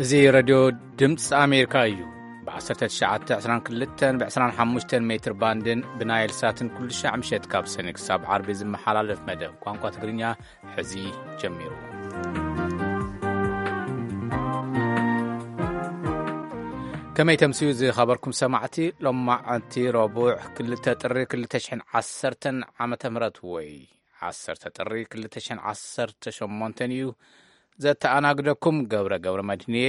እዚ ረድዮ ድምፂ ኣሜሪካ እዩ። ብ1922 ብ25 ሜትር ባንድን ብናይል ሳትን ኩሉ ሻዕ ምሸት ካብ ሰኒ ክሳብ ዓርቢ ዝመሓላለፍ መደብ ቋንቋ ትግርኛ ሕዚ ጀሚሩ። ከመይ ተምስዩ ዝኸበርኩም ሰማዕቲ? ሎማዓንቲ ረቡዕ ክልተ ጥሪ ክልተ ሽሕን ዓሰርተን ዓመተ ምህረት ወይ ዓሰርተ ጥሪ ክልተ ሽሕን ዓሰርተ ሸሞንተን እዩ። ዘተኣናግደኩም ገብረ ገብረ መድህንየ።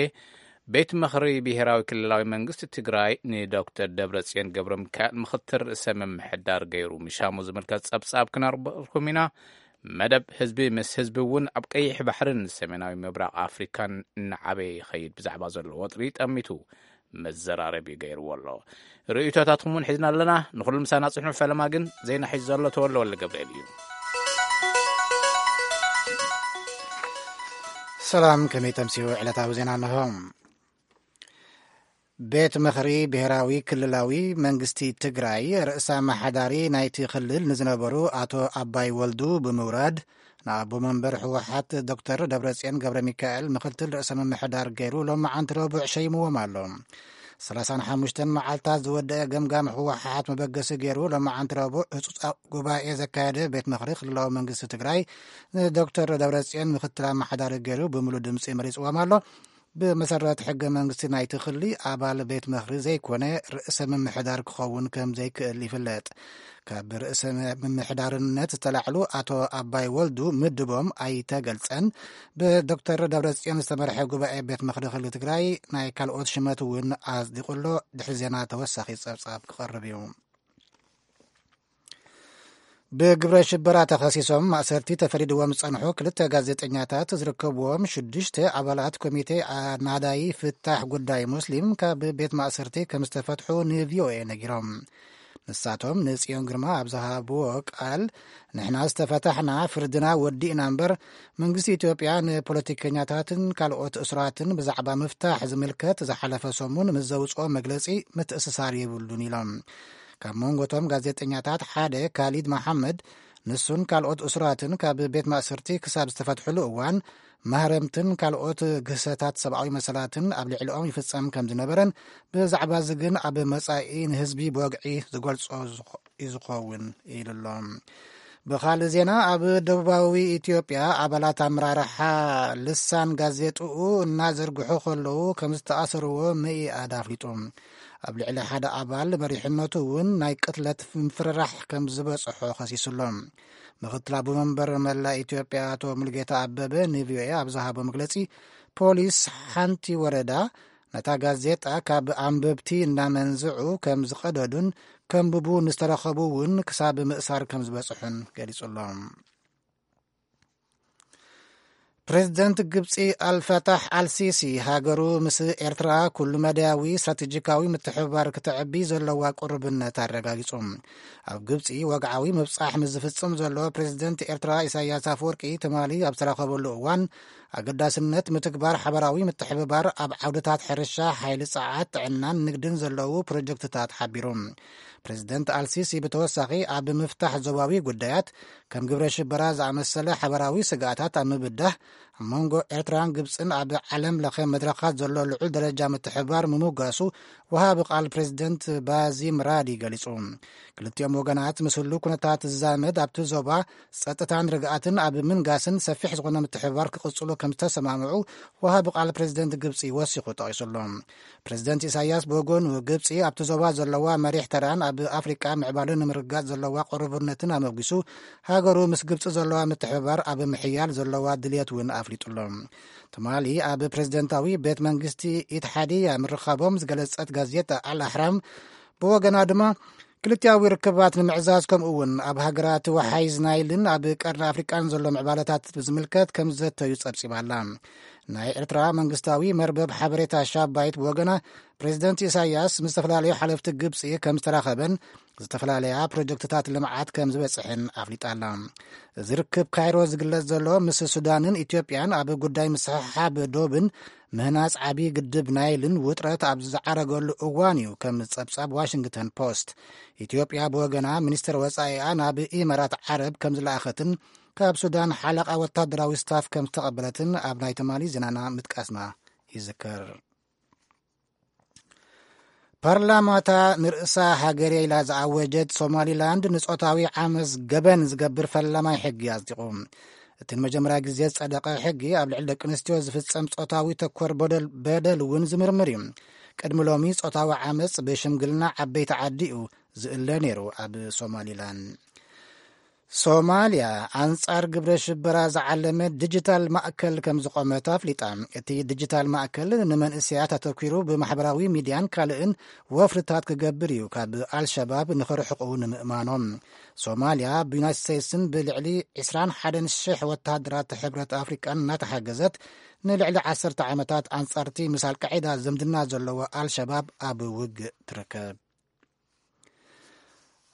ቤት ምኽሪ ብሄራዊ ክልላዊ መንግስቲ ትግራይ ንዶክተር ደብረጽዮን ገብረ ሚካኤል ምኽትል ርእሰ ምምሕዳር ገይሩ ምሻሙ ዝምልከት ጸብጻብ ክነርበልኩም ኢና። መደብ ህዝቢ ምስ ህዝቢ እውን ኣብ ቀይሕ ባሕርን ሰሜናዊ ምብራቕ ኣፍሪካን እናዓበየ ይኸይድ ብዛዕባ ዘሎ ወጥሪ ጠሚቱ መዘራረቢ ገይርዎ ኣሎ። ርእይቶታትኩም እውን ሒዝና ኣለና። ንኹሉ ምሳና ጽንሑ። ፈለማ ግን ዜና ሒዙ ዘሎ ተወለ ወለ ገብርኤል እዩ። ሰላም፣ ከመይ ተምስዩ? ዕለታዊ ዜና እንሆ። ቤት ምኽሪ ብሔራዊ ክልላዊ መንግስቲ ትግራይ ርእሰ ኣመሓዳሪ ናይቲ ክልል ንዝነበሩ ኣቶ ኣባይ ወልዱ ብምውራድ፣ ንኣቦ መንበር ህወሓት ዶክተር ደብረጽዮን ገብረ ሚካኤል ምኽትል ርእሰ ምምሕዳር ገይሩ ሎማዓንቲ ረቡዕ ሸይምዎም ኣሎ። ሰላሳን ሓሙሽተን መዓልታት ዝወደአ ገምጋም ህወሓት መበገሲ ገይሩ ሎማዓንቲ ረቡዕ ህጹጽ ጉባኤ ዘካየደ ቤት ምኽሪ ክልላዊ መንግስቲ ትግራይ ንዶክተር ደብረጽዮን ምኽትል ኣመሓዳሪ ገይሩ ብምሉእ ድምፂ መሪጽዎም ኣሎ። ብመሰረት ሕገ መንግስቲ ናይቲ ክሊ ኣባል ቤት ምኽሪ ዘይኮነ ርእሰ ምምሕዳር ክኸውን ከም ዘይክእል ይፍለጥ። ካብ ርእሰ ምምሕዳርነት ዝተላዕሉ ኣቶ ኣባይ ወልዱ ምድቦም ኣይተገልጸን። ብዶክተር ደብረጽዮን ዝተመርሐ ጉባኤ ቤት ምኽሪ ክሊ ትግራይ ናይ ካልኦት ሽመት እውን ኣጽዲቑ ኣሎ። ድሕሪ ዜና ተወሳኺ ጸብጻብ ክቐርብ እዩ። ብግብረ ሽበራ ተኸሲሶም ማእሰርቲ ተፈሪድዎም ዝጸንሑ ክልተ ጋዜጠኛታት ዝርከብዎም ሽዱሽተ ኣባላት ኮሚቴ ኣናዳይ ፍታሕ ጉዳይ ሙስሊም ካብ ቤት ማእሰርቲ ከም ዝተፈትሑ ንቪኦኤ ነጊሮም። ንሳቶም ንጽዮን ግርማ ኣብ ዝሃብዎ ቃል፣ "ንሕና ዝተፈታሕና ፍርድና ወዲእና እምበር፣ መንግስቲ ኢትዮጵያ ንፖለቲከኛታትን ካልኦት እሱራትን ብዛዕባ ምፍታሕ ዝምልከት ዝሓለፈ ሰሙን ምስ ዘውጽኦ መግለጺ ምትእስሳር የብሉን" ኢሎም። ካብ መንጎ እቶም ጋዜጠኛታት ሓደ ካሊድ መሓመድ፣ ንሱን ካልኦት እሱራትን ካብ ቤት ማእሰርቲ ክሳብ ዝተፈትሕሉ እዋን፣ ማህረምትን ካልኦት ግህሰታት ሰብኣዊ መሰላትን ኣብ ልዕሊኦም ይፍጸም ከም ዝነበረን፣ ብዛዕባ እዚ ግን ኣብ መጻኢ ንህዝቢ ብወግዒ ዝገልጾ ዝኸ-፣ እዩ ዝኸውን ኢሉ ኣሎ። ብኻልእ ዜና፣ ኣብ ደቡባዊ ኢትዮጵያ ኣባላት ኣመራርሓ ልሳን ጋዜጥኡ እናዘርግሑ ከለዉ ከም ዝተኣሰርዎ መኢኣድ ኣፍሊጡ። ኣብ ልዕሊ ሓደ ኣባል መሪሕነቱ እውን ናይ ቅትለት ምፍርራሕ ከም ዝበጽሖ ከሲሱ ኣሎ። ምኽትል ኣቦ መንበር መላእ ኢትዮጵያ ኣቶ ሙሉጌታ ኣበበ ንቪኦኤ ኣብ ዝሃቦ መግለጺ፣ ፖሊስ ሓንቲ ወረዳ ነታ ጋዜጣ ካብ ኣንበብቲ እናመንዝዑ ከም ዝቐደዱን ከንብቡ ንዝተረኸቡ እውን ክሳብ ምእሳር ከም ዝበጽሑን ገሊጹ ኣሎ። ፕሬዚደንት ግብጺ ኣልፋታሕ ኣልሲሲ፣ ሃገሩ ምስ ኤርትራ ኩሉ መዳያዊ ስትራቴጂካዊ ምትሕብባር ክተዕቢ ዘለዋ ቅርብነት ኣረጋጊጹ። ኣብ ግብጺ ወግዓዊ ምብጻሕ ምስ ዝፍጽም ዘሎ ፕሬዚደንት ኤርትራ ኢሳያስ ኣፈወርቂ ትማሊ ኣብ ዝተራኸበሉ እዋን፣ ኣገዳስነት ምትግባር ሓበራዊ ምትሕብባር ኣብ ዓውድታት ሕርሻ፣ ሓይሊ ጸዓት፣ ጥዕናን ንግድን ዘለዉ ፕሮጀክትታት ሓቢሩ። ፕሬዚደንት ኣልሲሲ ብተወሳኺ ኣብ ምፍታሕ ዞባዊ ጉዳያት ከም ግብረ ሽበራ ዝኣመሰለ ሓበራዊ ስግኣታት ኣብ ምብዳህ፣ ኣብ መንጎ ኤርትራን ግብጽን ኣብ ዓለም ለኸ መድረኻት ዘሎ ልዑል ደረጃ ምትሕብባር ምምጓሱ ወሃቢ ቃል ፕሬዚደንት ባዚም ራዲ ገሊጹ። ክልቲኦም ወገናት ምስ ህሉ ኩነታት ዝዛመድ ኣብቲ ዞባ ጸጥታን ርግኣትን ኣብ ምንጋስን ሰፊሕ ዝኾነ ምትሕብባር ክቕጽሉ ከም ዝተሰማምዑ ወሃቢ ቃል ፕሬዚደንት ግብጺ ወሲኹ ጠቒሱ ኣሎ። ፕሬዚደንት ኢሳያስ ብወገኑ፣ ግብጺ ኣብቲ ዞባ ዘለዋ መሪሕ ተራን ኣብ ኣፍሪቃ ምዕባለን ንምርግጋጽ ዘለዋ ቅርቡነትን ኣመጉሱ፣ ሃገሩ ምስ ግብጺ ዘለዋ ምትሕብባር ኣብ ምሕያል ዘለዋ ድልየት እውን ኣፍሊጡ ኣሎ። ትማሊ ኣብ ፕሬዚደንታዊ ቤት መንግስቲ ኢትሓዲያ ምርኻቦም ዝገለጸት ጋዜጣ ኣል ኣሕራም ብወገና ድማ፣ ክልቲኣዊ ርክባት ንምዕዛዝ፣ ከምኡ እውን ኣብ ሃገራት ወሓይዝ ናይልን ኣብ ቀርኒ ኣፍሪቃን ዘሎ ምዕባለታት ብዝምልከት ከም ዝዘተዩ ጸብጺባ ኣላ። ናይ ኤርትራ መንግስታዊ መርበብ ሓበሬታ ሻባይት ብወገና፣ ፕሬዚደንት ኢሳያስ ምስ ዝተፈላለዩ ሓለፍቲ ግብጺ ከም ዝተራኸበን ዝተፈላለያ ፕሮጀክትታት ልምዓት ከም ዝበጽሕን ኣፍሊጣ ኣላ። እዚ ርክብ ካይሮ ዝግለጽ ዘሎ፣ ምስ ሱዳንን ኢትዮጵያን ኣብ ጉዳይ ምስሕሓብ ዶብን ምህናጽ ዓቢ ግድብ ናይልን ውጥረት ኣብ ዝዓረገሉ እዋን እዩ፣ ከም ጸብጻብ ዋሽንግተን ፖስት። ኢትዮጵያ ብወገና፣ ሚኒስትር ወጻኢኣ ናብ ኢማራት ዓረብ ከም ዝለኣኸትን ካብ ሱዳን ሓለቓ ወታደራዊ ስታፍ ከም ዝተቐበለትን ኣብ ናይ ትማሊ ዜናና ምጥቃስና ይዝከር። ፓርላማታ ንርእሳ ሃገር ኢላ ዝኣወጀት ሶማሊላንድ ንጾታዊ ዓመስ ገበን ዝገብር ፈላማይ ሕጊ ኣጽዲቑ። እቲ ንመጀመርያ ግዜ ዝጸደቐ ሕጊ ኣብ ልዕሊ ደቂ ኣንስትዮ ዝፍጸም ጾታዊ ተኮር በደል እውን ዝምርምር እዩ። ቅድሚ ሎሚ ጾታዊ ዓመጽ ብሽምግልና ዓበይቲ ዓዲ እዩ ዝእለ ነይሩ ኣብ ሶማሊላንድ። ሶማልያ ኣንጻር ግብረ ሽበራ ዝዓለመ ዲጂታል ማእከል ከም ዝቖመት ኣፍሊጣ። እቲ ዲጂታል ማእከል ንመንእሰያት ኣተኪሩ ብማሕበራዊ ሚድያን ካልእን ወፍርታት ክገብር እዩ ካብ ኣልሸባብ ንኽርሕቑ ንምእማኖም። ሶማልያ ብዩናይትድ ስቴትስን ብልዕሊ ዕስራን ሓደን ሽሕ ወተሃደራት ሕብረት ኣፍሪቃን እናተሓገዘት ንልዕሊ ዓሰርተ ዓመታት ኣንጻርቲ ምስ ኣልቃዒዳ ዝምድና ዘለዎ ኣልሸባብ ኣብ ውግእ ትርከብ።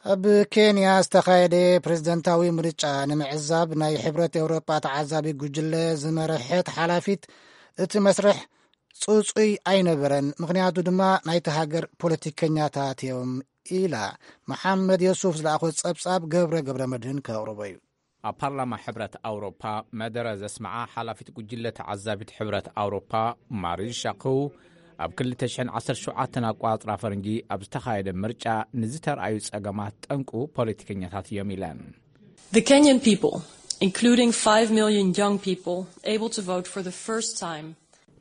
ኣብ ኬንያ ዝተኻየደ ፕሬዝደንታዊ ምርጫ ንምዕዛብ ናይ ሕብረት ኤውሮጳ ተዓዛቢ ጉጅለ ዝመረሐት ሓላፊት እቲ መስርሕ ጽጹይ ኣይነበረን፣ ምኽንያቱ ድማ ናይቲ ሃገር ፖለቲከኛታት እዮም ኢላ። መሓመድ የሱፍ ዝለኣኾ ጸብጻብ ገብረ ገብረ መድህን ከቕርቦ እዩ። ኣብ ፓርላማ ሕብረት ኣውሮፓ መደረ ዘስምዓ ሓላፊት ጉጅለ ተዓዛቢት ሕብረት ኣውሮፓ ማሪዝ ሻክው ኣብ ክልተ ሽሕን ዓሰርተ ሸውዓተን ኣቋጽራ ፈረንጂ ኣብ ዝተኻየደ ምርጫ ንዝተርኣዩ ጸገማት ጠንቁ ፖለቲከኛታት እዮም ኢለን። The Kenyan people, including five million young people, able to vote for the first time.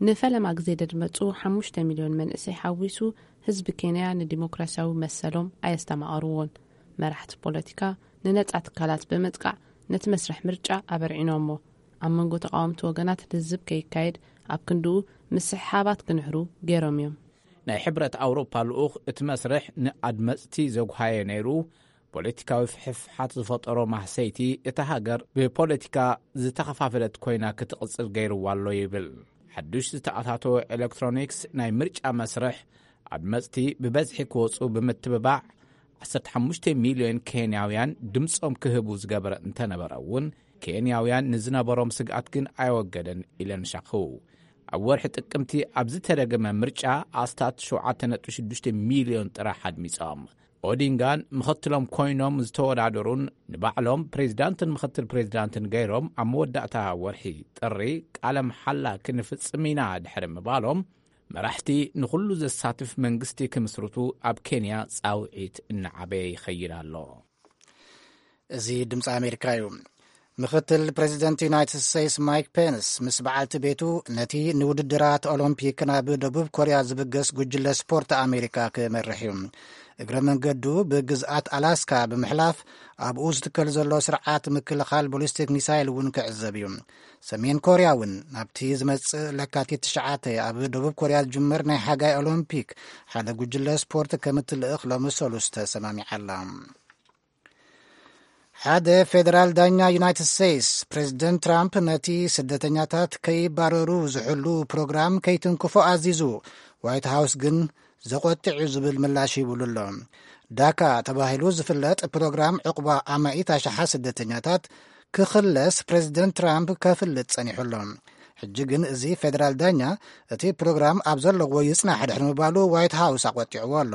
ንፈለማ ግዜ ደድመጹ ሓሙሽተ ሚልዮን መንእሰይ ሓዊሱ ህዝቢ ኬንያ ንዲሞክራሲያዊ መሰሎም ኣየስተማቐርዎን። መራሕቲ ፖለቲካ ንነጻ ትካላት ብምጥቃዕ ነቲ መስርሕ ምርጫ ኣበርዒኖሞ። ኣብ መንጎ ተቓወምቲ ወገናት ልዝብ ከይካየድ ኣብ ክንድኡ ምስሕሓባት ክንሕሩ ገይሮም እዮም። ናይ ሕብረት ኣውሮፓ ልኡኽ እቲ መስርሕ ንኣድመጽቲ ዘጉሃየ ነይሩ፣ ፖለቲካዊ ፍሕፍሓት ዝፈጠሮ ማህሰይቲ እታ ሃገር ብፖለቲካ ዝተኸፋፈለት ኮይና ክትቕጽል ገይርዋ ኣሎ ይብል። ሓዱሽ ዝተኣታተወ ኤሌክትሮኒክስ ናይ ምርጫ መስርሕ ኣድመጽቲ ብበዝሒ ክወጹ ብምትብባዕ ዓሰርተ ሓሙሽተ ሚልዮን ኬንያውያን ድምጾም ክህቡ ዝገበረ እንተነበረ እውን ኬንያውያን ንዝነበሮም ስግኣት ግን ኣየወገደን ኢለን ሻኽው። ኣብ ወርሒ ጥቅምቲ ኣብ ዝተደገመ ምርጫ ኣስታት ሸውዓተ ነጥቢ ሽዱሽተ ሚልዮን ጥራሕ ኣድሚጾም። ኦዲንጋን ምኽትሎም ኮይኖም ዝተወዳደሩን ንባዕሎም ፕሬዚዳንትን ምኽትል ፕሬዚዳንትን ገይሮም ኣብ መወዳእታ ወርሒ ጥሪ ቃለ መሓላ ክንፍጽም ኢና ድሕሪ ምባሎም መራሕቲ ንኹሉ ዘሳትፍ መንግስቲ ክምስርቱ ኣብ ኬንያ ጻውዒት እናዓበየ ይኸይድ ኣሎ። እዚ ድምፂ ኣሜሪካ እዩ። ምኽትል ፕሬዚደንት ዩናይትድ ስቴትስ ማይክ ፔንስ ምስ በዓልቲ ቤቱ ነቲ ንውድድራት ኦሎምፒክ ናብ ደቡብ ኮርያ ዝብገስ ጉጅለ ስፖርት ኣሜሪካ ክመርሕ እዩ። እግረ መንገዱ ብግዝኣት ኣላስካ ብምሕላፍ ኣብኡ ዝትከል ዘሎ ስርዓት ምክልኻል ቦሊስቲክ ሚሳይል እውን ክዕዘብ እዩ። ሰሜን ኮርያ እውን ናብቲ ዝመጽእ ለካቲት ትሽዓተ ኣብ ደቡብ ኮርያ ዝጅመር ናይ ሓጋይ ኦሎምፒክ ሓደ ጉጅለ ስፖርት ከም እትልእኽ ሎሚ ሰሉስ ተሰማሚዓ ኣላ። ሓደ ፌደራል ዳኛ ዩናይትድ ስቴትስ ፕሬዚደንት ትራምፕ ነቲ ስደተኛታት ከይባረሩ ዝሕሉ ፕሮግራም ከይትንክፎ ኣዚዙ። ዋይት ሃውስ ግን ዘቆጥዕ እዩ ዝብል ምላሽ ሂብሉ ኣሎ። ዳካ ተባሂሉ ዝፍለጥ ፕሮግራም ዕቑባ ኣማኢት ኣሽሓት ስደተኛታት ክኽለስ ፕሬዚደንት ትራምፕ ከፍልጥ ጸኒሑ ኣሎ። ሕጂ ግን እዚ ፌደራል ዳኛ እቲ ፕሮግራም ኣብ ዘለዎ ይጽናሕ ድሕሪ ምባሉ ዋይት ሃውስ ኣቆጢዕዎ ኣሎ።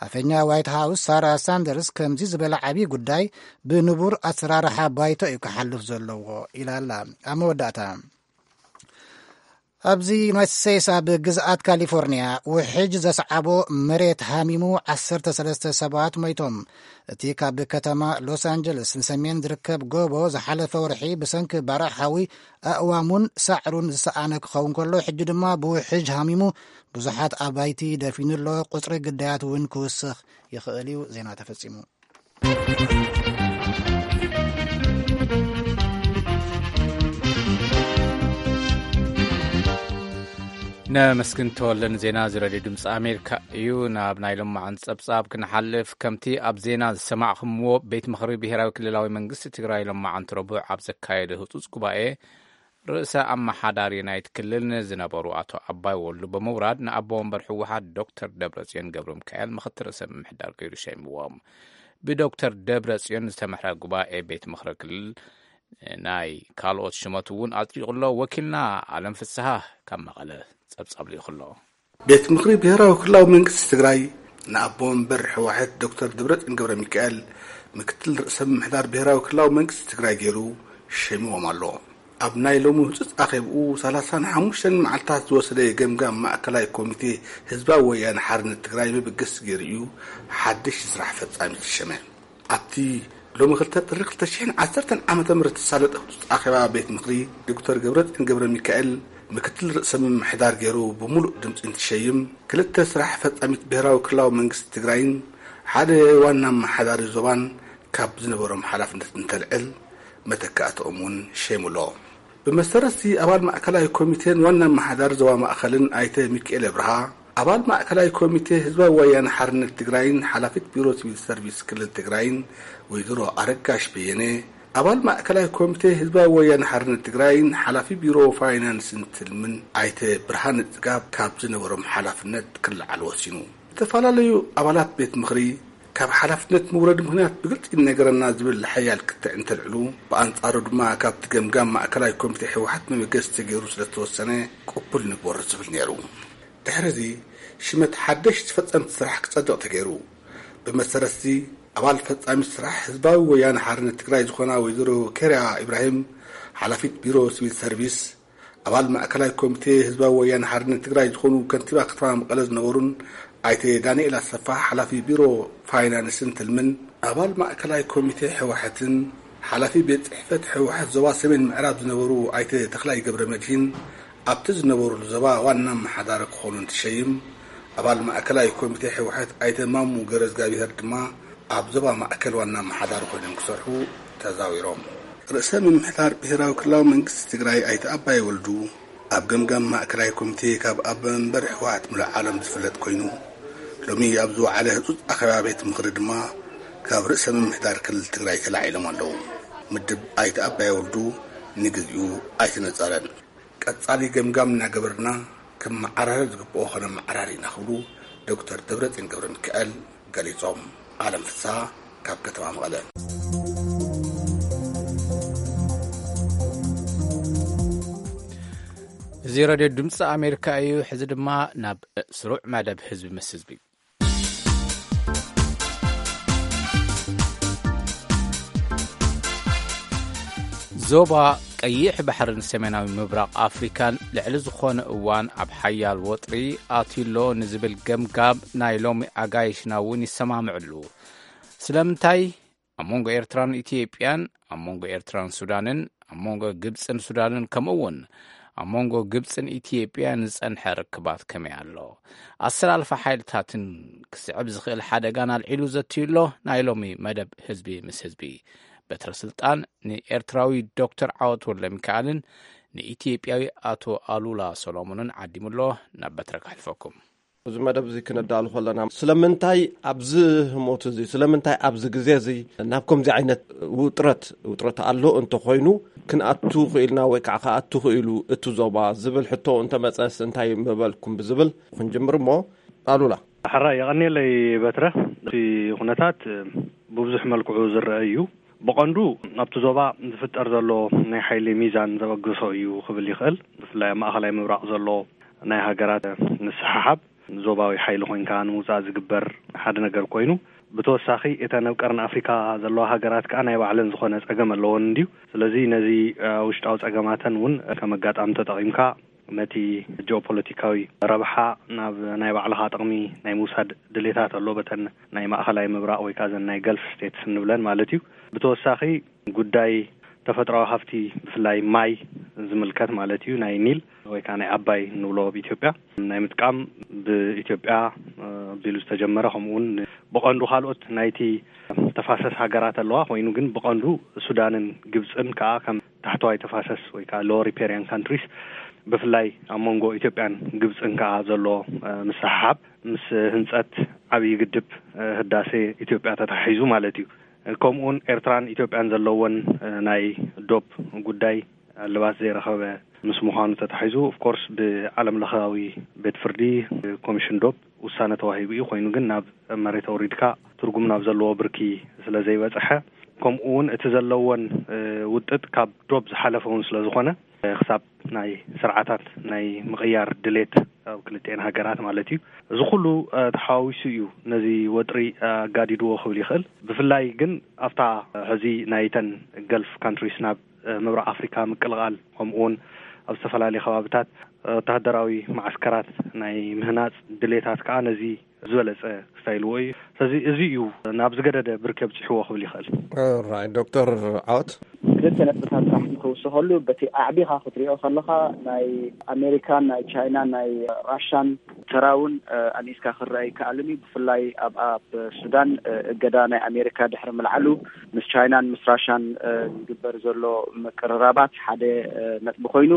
ኣፈኛ ዋይት ሃውስ ሳራ ሳንደርስ ከምዚ ዝበለ ዓብዪ ጉዳይ ብንቡር ኣሰራርሓ ባይቶ እዩ ክሓልፍ ዘለዎ ኢላ ኣላ። ኣብ መወዳእታ ኣብዚ ዩናይትድ ስቴትስ ኣብ ግዝኣት ካሊፎርኒያ ውሕጅ ዘስዓቦ መሬት ሃሚሙ ዓሰርተ ሰለስተ ሰባት ሞይቶም። እቲ ካብ ከተማ ሎስ ኣንጀለስ ንሰሜን ዝርከብ ጎቦ ዝሓለፈ ወርሒ ብሰንኪ ባርዕ ሓዊ ኣእዋሙን ሳዕሩን ዝሰኣነ ክኸውን ከሎ ሕጂ ድማ ብውሕጅ ሃሚሙ ብዙሓት ኣባይቲ ደፊኑ ኣሎ። ቁፅሪ ግዳያት እውን ክውስኽ ይኽእል እዩ። ዜና ተፈፂሙ። ነመስግን ተወለን ዜና እዚ ረድዮ ድምፂ ኣሜሪካ እዩ። ናብ ናይ ሎማዓንቲ ፀብፃብ ክንሓልፍ፣ ከምቲ ኣብ ዜና ዝሰማዕኹምዎ ቤት ምኽሪ ብሄራዊ ክልላዊ መንግስቲ ትግራይ ሎማዓንቲ ረቡዕ ኣብ ዘካየደ ህፁፅ ጉባኤ ርእሰ ኣመሓዳሪ ናይቲ ክልል ንዝነበሩ ኣቶ ኣባይ ወልዱ ብምውራድ ንኣቦ ወንበር ህወሓት ዶክተር ደብረፅዮን ገብረ ሚካኤል ምኽትል ርእሰ ምምሕዳር ገይሩ ሸይምዎም። ብዶክተር ደብረፅዮን ዝተመሕረ ጉባኤ ቤት ምኽሪ ክልል ናይ ካልኦት ሽመት እውን ኣፅዲቑ ኣሎ። ወኪልና ኣለም ፍስሃ ካብ መቐለ ፀብፃብ ልኢኹ ኣሎ። ቤት ምኽሪ ብሄራዊ ክልላዊ መንግስቲ ትግራይ ንኣቦ ወንበር ህወሓት ዶክተር ደብረፅዮን ገብረ ሚካኤል ምክትል ርእሰ ምምሕዳር ብሄራዊ ክልላዊ መንግስቲ ትግራይ ገይሩ ሸይምዎም ኣሎ። ኣብ ናይ ሎሚ ህጹጽ ኣኼብኡ ሰላሳን ሓሙሽተን መዓልታት ዝወሰደ ገምጋም ማእከላይ ኮሚቴ ህዝባዊ ወያነ ሓርነት ትግራይ መበገሲ ገይሩ እዩ ሓድሽ ስራሕ ፈጻሚ ዝተሸመ። ኣብቲ ሎሚ ክልተ ጥሪ ክልተ ሽሕን ዓሰርተን ዓመተ ምህረት ዝተሳለጠ ህጹጽ ኣኼባ ቤት ምኽሪ፣ ዶክተር ገብረጽዮን ገብረ ሚካኤል ምክትል ርእሰ ምምሕዳር ገይሩ ብምሉእ ድምጺ እንትሸይም፣ ክልተ ስራሕ ፈጻሚት ብሄራዊ ክልላዊ መንግስቲ ትግራይን ሓደ ዋና ኣመሓዳሪ ዞባን ካብ ዝነበሮም ሓላፍነት እንተልዕል፣ መተካእትኦም እውን ሸይሙሎ። ብመሰረትዚ ኣባል ማእከላይ ኮሚቴን ዋና ኣመሓዳሪ ዞባ ማእከልን ኣይተ ሚካኤል ኣብርሃ፣ ኣባል ማእከላይ ኮሚቴ ህዝባዊ ወያነ ሓርነት ትግራይን ሓላፊት ቢሮ ሲቪል ሰርቪስ ክልል ትግራይን ወይዘሮ ኣረጋሽ በየነ፣ ኣባል ማእከላይ ኮሚቴ ህዝባዊ ወያነ ሓርነት ትግራይን ሓላፊ ቢሮ ፋይናንስን ትልምን ኣይተ ብርሃነ ጽጋብ ካብ ዝነበሮም ሓላፍነት ክለዓሉ ወሲኑ። ዝተፈላለዩ ኣባላት ቤት ምኽሪ ካብ ሓላፍነት ምውረድ ምኽንያት ብግልጺ ይነገረና ዝብል ሓያል ክትዕ እንተልዕሉ፣ ብኣንጻሩ ድማ ካብቲ ገምጋም ማእከላይ ኮሚቴ ህወሓት መበገሲ ተገይሩ ስለዝተወሰነ ቅቡል ንግበሮ ዝብል ነይሩ። ድሕሪ እዚ ሽመት ሓደሽቲ ፈጸምቲ ስራሕ ክጸድቕ ተገይሩ። ብመሰረትዚ ኣባል ፈጻሚ ስራሕ ህዝባዊ ወያነ ሓርነት ትግራይ ዝኾና ወይዘሮ ኬርያ ኢብራሂም፣ ሓላፊት ቢሮ ሲቪል ሰርቪስ፣ ኣባል ማእከላይ ኮሚቴ ህዝባዊ ወያነ ሓርነት ትግራይ ዝኾኑ ከንቲባ ከተማ መቐለ ዝነበሩን ኣይተ ዳንኤል ኣሰፋ ሓላፊ ቢሮ ፋይናንስን ትልምን፣ ኣባል ማእከላይ ኮሚቴ ህወሓትን ሓላፊ ቤት ጽሕፈት ህወሓት ዞባ ሰሜን ምዕራብ ዝነበሩ ኣይተ ተኽላይ ገብረ መድሂን ኣብቲ ዝነበሩሉ ዞባ ዋና ኣመሓዳሪ ክኾኑ እንትሸይም፣ ኣባል ማእከላይ ኮሚቴ ህወሓት ኣይተ ማሙ ገረዝጋብሄር ድማ ኣብ ዞባ ማእከል ዋና ኣመሓዳሪ ኮይኖም ክሰርሑ ተዛዊሮም። ርእሰ ምምሕዳር ብሄራዊ ክልላዊ መንግስቲ ትግራይ ኣይተ ኣባይ ወልዱ ኣብ ገምጋም ማእከላይ ኮሚቴ ካብ ኣቦ መንበር ህወሓት ሙሉእ ዓለም ዝፍለጥ ኮይኑ፣ ሎሚ ኣብ ዝወዓለ ህጹጽ ኣኼባ ቤት ምኽሪ ድማ ካብ ርእሰ ምምሕዳር ክልል ትግራይ ተላዒሎም ኣለዉ። ምድብ ኣይተ ኣባይ ወልዱ ንግዚኡ ኣይተነጸረን። ቀጻሊ ገምጋም እናገበርና ከመዓራረይ ዝግብኦ ከነመዓራሪ ኢና ክብሉ ዶክተር ደብረጽዮን ገብረ ሚካኤል ገሊጾም። ኣለም ፍስሃ ካብ ከተማ መቐለ። እዚ ሬድዮ ድምፂ ኣሜሪካ እዩ። ሕዚ ድማ ናብ ስሩዕ መደብ ህዝቢ ምስ ህዝቢ። ዞባ ቀይሕ ባሕርን ሰሜናዊ ምብራቕ ኣፍሪካን ልዕሊ ዝኾነ እዋን ኣብ ሓያል ወጥሪ ኣትዩሎ ንዝብል ገምጋም ናይ ሎሚ ኣጋይሽና እውን ይሰማምዕሉ። ስለምንታይ? ኣብ መንጎ ኤርትራን ኢትዮጵያን፣ ኣብ መንጎ ኤርትራን ሱዳንን፣ ኣብ መንጎ ግብጽን ሱዳንን፣ ከምኡ እውን ኣብ መንጎ ግብጽን ኢትዮጵያን ዝጸንሐ ርክባት ከመይ ኣሎ? ኣሰላልፋ ሓይልታትን ክስዕብ ዝኽእል ሓደጋን ኣልዒሉ ዘትዩ ኣሎ ናይ ሎሚ መደብ ህዝቢ ምስ ህዝቢ። በትረ ስልጣን ንኤርትራዊ ዶክተር ዓወት ወልደሚካኤልን ንኢትዮጵያዊ ኣቶ ኣሉላ ሰሎሞንን ዓዲሙ ኣሎ። ናብ በትረ ከሕልፈኩም። እዚ መደብ እዚ ክነዳሉ ከለና፣ ስለምንታይ ኣብዚ ህሞት እዚ፣ ስለምንታይ ኣብዚ ግዜ እዚ ናብ ከምዚ ዓይነት ውጥረት፣ ውጥረት ኣሎ እንተኾይኑ፣ ክንኣቱ ክኢልና ወይ ከዓ ክኣቱ ክኢሉ እቲ ዞባ ዝብል ሕቶ እንተመፀስ እንታይ ምበልኩም ብዝብል ክንጅምር እሞ፣ ኣሉላ። ሕራይ የቐንየለይ በትረ። እቲ ኩነታት ብብዙሕ መልክዑ ዝረአ እዩ። ብቐንዱ ኣብቲ ዞባ ዝፍጠር ዘሎ ናይ ሓይሊ ሚዛን ዘበገሶ እዩ ክብል ይኽእል። ብፍላይ ኣብ ማእኸላይ ምብራቕ ዘሎ ናይ ሃገራት ምስሕሓብ፣ ዞባዊ ሓይሊ ኮይንካ ንምውፃእ ዝግበር ሓደ ነገር ኮይኑ፣ ብተወሳኺ እተን ኣብ ቀርኒ ኣፍሪካ ዘለዋ ሃገራት ከዓ ናይ ባዕለን ዝኾነ ፀገም ኣለወን እንድዩ። ስለዚ ነዚ፣ እ፣ ውሽጣዊ ፀገማተን እውን ከም ኣጋጣሚ ተጠቒምካ ነቲ ጂኦፖለቲካዊ ረብሓ ናብ ናይ ባዕልኻ ጥቕሚ ናይ ምውሳድ ድሌታት ኣሎ፣ በተን ናይ ማእኸላይ ምብራቕ ወይ ከዓ ዘን ናይ ገልፍ ስቴትስ እንብለን ማለት እዩ። ብተወሳኺ ጉዳይ ተፈጥሮኣዊ ሃፍቲ፣ ብፍላይ ማይ ዝምልከት ማለት እዩ፣ ናይ ኒል ወይ ከዓ ናይ ኣባይ እንብሎ ኣብ ኢትዮጵያ ናይ ምጥቃም ብኢትዮጵያ፣ እ፣ ኣቢሉ ዝተጀመረ፣ ከምኡ እውን ብቐንዱ ካልኦት ናይቲ ተፋሰስ ሃገራት ኣለዋ ኮይኑ፣ ግን ብቐንዱ ሱዳንን ግብፅን ከዓ ከም ታሕተዋይ ተፋሰስ ወይ ከዓ ሎወር ሪፔሪያን ካንትሪስ፣ ብፍላይ ኣብ መንጎ ኢትዮጵያን ግብፅን ከዓ ዘሎ፣ እ፣ ምስሕሓብ ምስ ህንፀት ዓብዪ ግድብ፣ እ፣ ህዳሴ ኢትዮጵያ ተተሓሒዙ ማለት እዩ። ከምኡውን ኤርትራን ኢትዮጵያን ዘለወን፣ እ፣ ናይ ዶብ ጉዳይ እልባት ዘይረኸበ ምስ ምዃኑ ተታሒዙ፣ ኦፍኮርስ ብዓለም ለኻዊ ቤት ፍርዲ፣ ኮሚሽን ዶብ ውሳነ ተዋሂቡ እዩ። ኮይኑ ግን ናብ መሬት ኣውሪድካ ትርጉም ናብ ዘለዎ ብርኪ ስለ ዘይበጽሐ፣ ከምኡ እውን እቲ ዘለወን፣ እ፣ ውጥጥ ካብ ዶብ ዝሓለፈ እውን ስለ ዝኾነ፣ እ፣ ክሳብ ናይ ስርዓታት ናይ ምቕያር ድሌት ኣብ ክልቲኤን ሃገራት ማለት እዩ። እዚ ኩሉ፣ እ፣ ተሓዋዊሱ እዩ ነዚ ወጥሪ፣ እ፣ ኣጋዲድዎ ክብል ይኽእል። ብፍላይ ግን ኣብታ፣ እ፣ ሕዚ ናይተን ገልፍ ካንትሪስ ናብ ምብራቕ ኣፍሪካ ምቅልቓል፣ ከምኡውን ኣብ ዝተፈላለዩ ከባብታት ወተሃደራዊ ማዓስከራት ናይ ምህናፅ ድሌታት ከዓ ነዚ ዝበለፀ ክስታይልዎ እዩ። ስለዚ እዚ እዩ ናብ ዝገደደ ብርክ የብፅሕዎ ክብል ይኽእል። ራይ ዶክተር ዓወት፣ ክልተ ነጥብታት ጥራሕ ንክውስኸሉ፣ በቲ ኣዕቢኻ ክትሪኦ ከለኻ ናይ ኣሜሪካን ናይ ቻይናን ናይ ራሻን ተራውን ኣንኢስካ ክረአ ይከኣልን እዩ። ብፍላይ ኣብ ኣብ ሱዳን እገዳ ናይ ኣሜሪካ ድሕሪ ምልዓሉ ምስ ቻይናን ምስ ራሻን ዝግበር ዘሎ ምቅርራባት ሓደ ነጥቢ ኮይኑ፣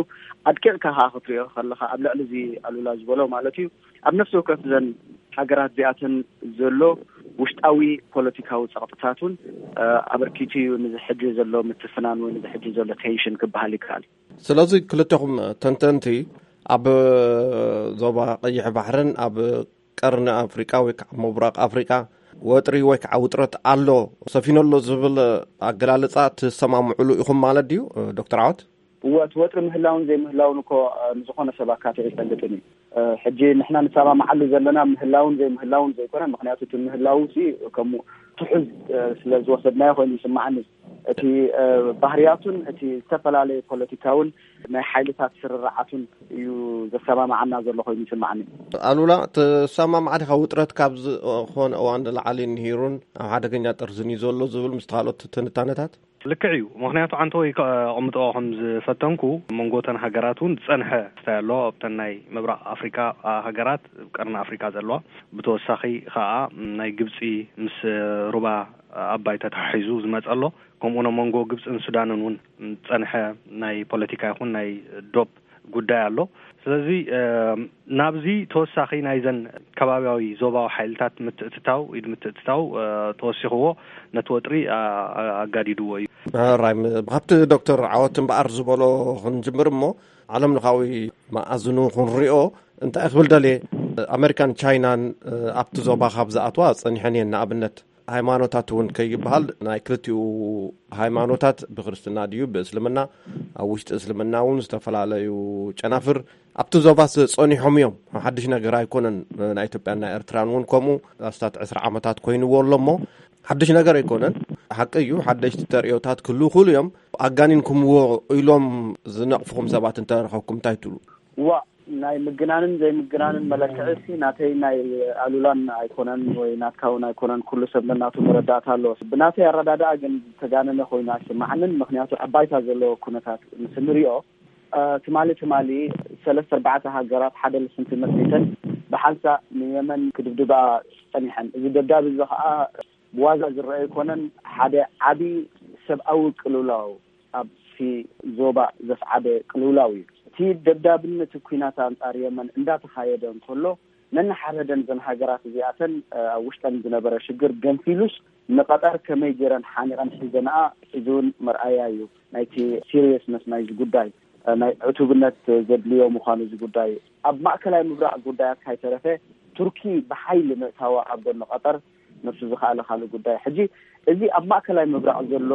ኣድቂቕካ ከዓ ክትሪኦ ከለኻ ኣብ ልዕሊ እዚ ኣሉላ ዝበሎ ማለት እዩ፣ ኣብ ነፍሲ ወከፍ ዘን ሃገራት እዚኣተን ዘሎ ውሽጣዊ ፖለቲካዊ ጸቕጥታት እውን ኣበርኪቱ እዩ ንዚ ሕጂ ዘሎ ምትፍናን ወይ ንዚ ሕጂ ዘሎ ቴንሽን ክበሃል ይከኣል። ስለዚ ክልተኹም ተንተንቲ ኣብ ዞባ ቀይሕ ባሕርን ኣብ ቀርኒ ኣፍሪቃ ወይ ከዓ ምብራቕ ኣፍሪቃ ወጥሪ ወይ ከዓ ውጥረት ኣሎ፣ ሰፊኑ ኣሎ ዝብል ኣገላልጻ ትሰማምዕሉ ኢኹም ማለት ድዩ ዶክተር ዓወት? እወ፣ እቲ ወጥሪ ምህላውን ዘይምህላውን እኮ ንዝኾነ ሰብ ኣካትዑ ይፈልጥን እዩ። ሕጂ ንሕና ንሰማምዓሉ ዘለና ምህላውን ዘይምህላውን ዘይኮነ፣ ምክንያቱ እቲ ምህላው ሲ ከም ትሑዝ ስለ ዝወሰድናዮ ኮይኑ ይስማዓኒ። እቲ ባህርያቱን እቲ ዝተፈላለየ ፖለቲካውን ናይ ሓይልታት ስርርዓቱን እዩ ዘሰማምዓና ዘሎ ኮይኑ ይስማዓኒ። ኣሉላ፣ ትሰማማዕ ዲኻ? ውጥረት ካብ ዝኾነ እዋን ንላዕሊ ንሂሩን ኣብ ሓደገኛ ጥርዝን እዩ ዘሎ ዝብል ምስቲ ካልኦት ትንታነታት? ልክዕ እዩ። ምክንያቱ ዓንተወይ ከቕምጦ ከም ዝፈተንኩ፣ መንጎተን ሃገራት እውን ዝጸንሐ ክስታይ ኣሎ። ኣብተን ናይ ምብራቕ ኣፍሪካ ሃገራት፣ ቀርኒ ኣፍሪካ ዘለዋ፣ ብተወሳኺ ከዓ ናይ ግብፂ ምስ ሩባ ኣባይ ተተሓሒዙ ዝመፀ ኣሎ። ከምኡ ነ መንጎ ግብፅን ሱዳንን እውን ዝፀንሐ ናይ ፖለቲካ ይኹን ናይ ዶብ ጉዳይ ኣሎ። ስለዚ ናብዚ ተወሳኺ ናይዘን ከባቢያዊ ዞባዊ ሓይልታት ምትእትታው፣ ኢድ ምትእትታው ተወሲኽዎ ነቲ ወጥሪ ኣጋዲድዎ እዩ። ራይ፣ ካብቲ ዶክተር ዓወት እምበኣር ዝበሎ ክንጅምር እሞ፣ ዓለም ለኻዊ መኣዝኑ ክንሪኦ እንታይ ክብል ደልየ፣ ኣሜሪካን ቻይናን ኣብቲ ዞባ ካብ ዝኣትዋ ጸኒሐን እየን። ንኣብነት ሃይማኖታት እውን ከይበሃል፣ ናይ ክልቲኡ ሃይማኖታት፣ ብክርስትና ድዩ ብእስልምና፣ ኣብ ውሽጢ እስልምና እውን ዝተፈላለዩ ጨናፍር ኣብቲ ዞባስ ጸኒሖም እዮም። ሓድሽ ነገር ኣይኮነን። ናይ ኢትዮጵያን ናይ ኤርትራን እውን ከምኡ ኣስታት ዕስራ ዓመታት ኮይንዎ ኣሎ እሞ ሓድሽ ነገር ኣይኮነን። ሓቂ እዩ፣ ሓደሽቲ ተርእዮታት ክህልው ክእሉ እዮም። ኣጋኒንኩምዎ ኢሎም ዝነቕፍኹም ሰባት እንተረኸብኩም እንታይ ትብሉ? ዋ፣ ናይ ምግናንን ዘይምግናንን መለክዒ ሲ ናተይ ናይ ኣሉላን ኣይኮነን ወይ ናትካ እውን ኣይኮነን። ኩሉ ሰብ ነናቱ መረዳእታ ኣለዎ። ብናተይ ኣረዳድኣ ግን ዝተጋነነ ኮይኑ ኣይስማዓንን። ምክንያቱ ኣብ ባይታ ዘለዎ ኩነታት ምስ ንሪኦ፣ ትማሊ ትማሊ ሰለስተ ኣርባዕተ ሃገራት ሓደ ልፍንቲ መስሪተን ብሓንሳእ ንየመን ክድብድባ ጸኒሐን። እዚ ደብዳብ እዚ ከዓ ብዋዛ ዝረአ ኣይኮነን። ሓደ ዓቢ ሰብኣዊ ቅልውላው ኣብቲ ዞባ ዘስዓበ ቅልውላው እዩ። እቲ ደብዳብን እቲ ኲናት ኣንጻር የመን እንዳተኻየደ እንከሎ፣ ነንሓድሕደን እዘን ሃገራት እዚኣተን ኣብ ውሽጠን ዝነበረ ሽግር ገንፊሉስ ንቐጠር ከመይ ገይረን ሓኒቐን ሒዘንኣ፣ እዚ እውን መርኣያ እዩ ናይቲ ሲሪየስነስ ናይዚ ጉዳይ፣ ናይ ዕቱብነት ዘድልዮ ምዃኑ እዚ ጉዳይ። ኣብ ማእከላይ ምብራቕ ጉዳያት ካይተረፈ ቱርኪ ብሓይሊ ምእታዋ ኣብ ጎኒ ቀጠር ነብሱ ዝኸኣለ ካልእ ጉዳይ። ሕጂ እዚ ኣብ ማእከላይ ምብራቕ ዘሎ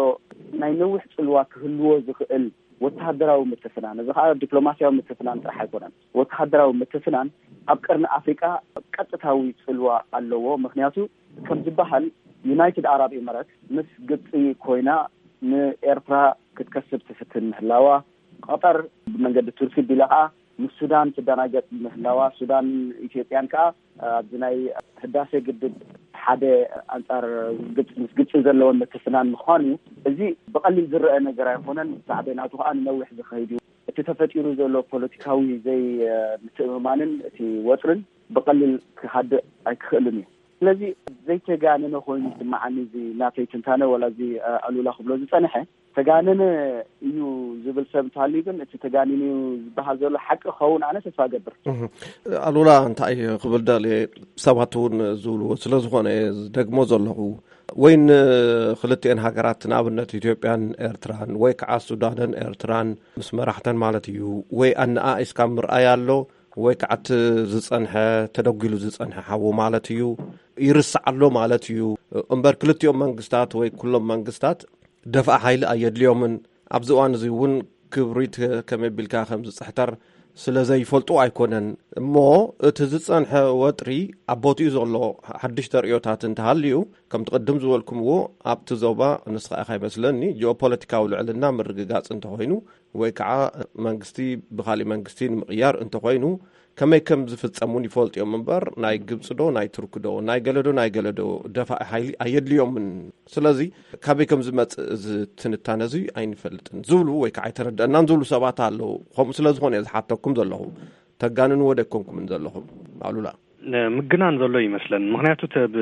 ናይ ነዊሕ ጽልዋ ክህልዎ ዝኽእል ወተሃደራዊ ምትፍናን፣ እዚ ከዓ ዲፕሎማስያዊ ምትፍናን ጥራሕ ኣይኮነን። ወተሃደራዊ ምትፍናን ኣብ ቀርኒ ኣፍሪቃ ቀጥታዊ ጽልዋ ኣለዎ። ምክንያቱ ከም ዝበሃል ዩናይትድ ኣራብ ኤምረት ምስ ግብፂ ኮይና ንኤርትራ ክትከስብ ትፍትን ምህላዋ፣ ቀጠር ብመንገዲ ቱርኪ ቢላ ከዓ ምስ ሱዳን ትደናገጥ ምህላዋ፣ ሱዳን ኢትዮጵያን ከዓ ኣብዚ ናይ ህዳሴ ግድብ ሓደ ኣንጻር ግብፂ፣ ምስ ግብፂ ዘለወን ምትፍናን ምዃኑ፣ እዚ ብቐሊል ዝረአ ነገር ኣይኮነን። ሳዕቤናቱ ከዓ ንነዊሕ ዝኸይድ እዩ። እቲ ተፈጢሩ ዘሎ ፖለቲካዊ ዘይምትእምማንን እቲ ወጥርን ብቐሊል ክሃድእ ኣይክኽእልን እዩ። ስለዚ ዘይተጋነነ ኮይኑ ይስምዓኒ እዚ ናተይ ትንታነ፣ ወላ እዚ ኣሉላ ክብሎ ዝጸንሐ ተጋነነ እዩ ዝብል ሰብ እንተሃልዩ፣ ግን እቲ ተጋኒኑ እዩ ዝበሃል ዘሎ ሓቂ ክኸውን ኣነ ተስፋ እገብር። ኣሉላ እንታይ ክብል ደልየ፣ ሰባት እውን ዝብልዎ ስለ ዝኾነ እየ ዝደግሞ ዘለኹ። ወይ ንክልቲኤን ሃገራት ንኣብነት ኢትዮጵያን ኤርትራን ወይ ከዓ ሱዳንን ኤርትራን ምስ መራሕተን ማለት እዩ፣ ወይ ኣነኣኢስካ ምርኣይ ኣሎ፣ ወይ ከዓ እቲ ዝጸንሐ፣ ተደጒሉ ዝጸንሐ ሓዉ ማለት እዩ፣ ይርስዕ ኣሎ ማለት እዩ። እምበር ክልቲኦም መንግስታት ወይ ኩሎም መንግስታት ደፍኣ ሓይሊ ኣየድልዮምን። ኣብዚ እዋን እዚ እውን ክብሪት ከመይ ቢልካ ከም ዝጽሕተር ስለ ዘይፈልጡ ኣይኮነን። እሞ እቲ ዝጸንሐ ወጥሪ ኣብ ቦትኡ ዘሎ ሓድሽ ተርእዮታት እንተሃልዩ፣ ከምቲ ቅድም ዝበልኩምዎ፣ ኣብቲ ዞባ፣ ንስኻ ኢኻ ይመስለኒ፣ ጂኦፖለቲካዊ ልዕልና ምርግጋጽ እንተኾይኑ፣ ወይ ከዓ መንግስቲ ብኻሊእ መንግስቲ ንምቕያር እንተኾይኑ፣ ከመይ ከም ዝፍጸም እውን ይፈልጡ እዮም እምበር፣ ናይ ግብጺ ዶ ናይ ቱርኪ ዶ ናይ ገለ ዶ ናይ ገለ ዶ ደፋኢ ሓይሊ ኣየድልዮምን። ስለዚ ካበይ ከም ዝመጽእ እዚ ትንታነ እዚ ኣይንፈልጥን ዝብሉ ወይ ከዓ ኣይተረደአናን ዝብሉ ሰባት ኣለዉ። ከምኡ ስለ ዝኾነ እየ ዝሓተኩም ዘለኹ። ተጋንንዎ ደይኮንኩምን ዘለኹም ኣሉላ። ምግናን ዘሎ ይመስለን። ምኽንያቱ እቲ ኣብ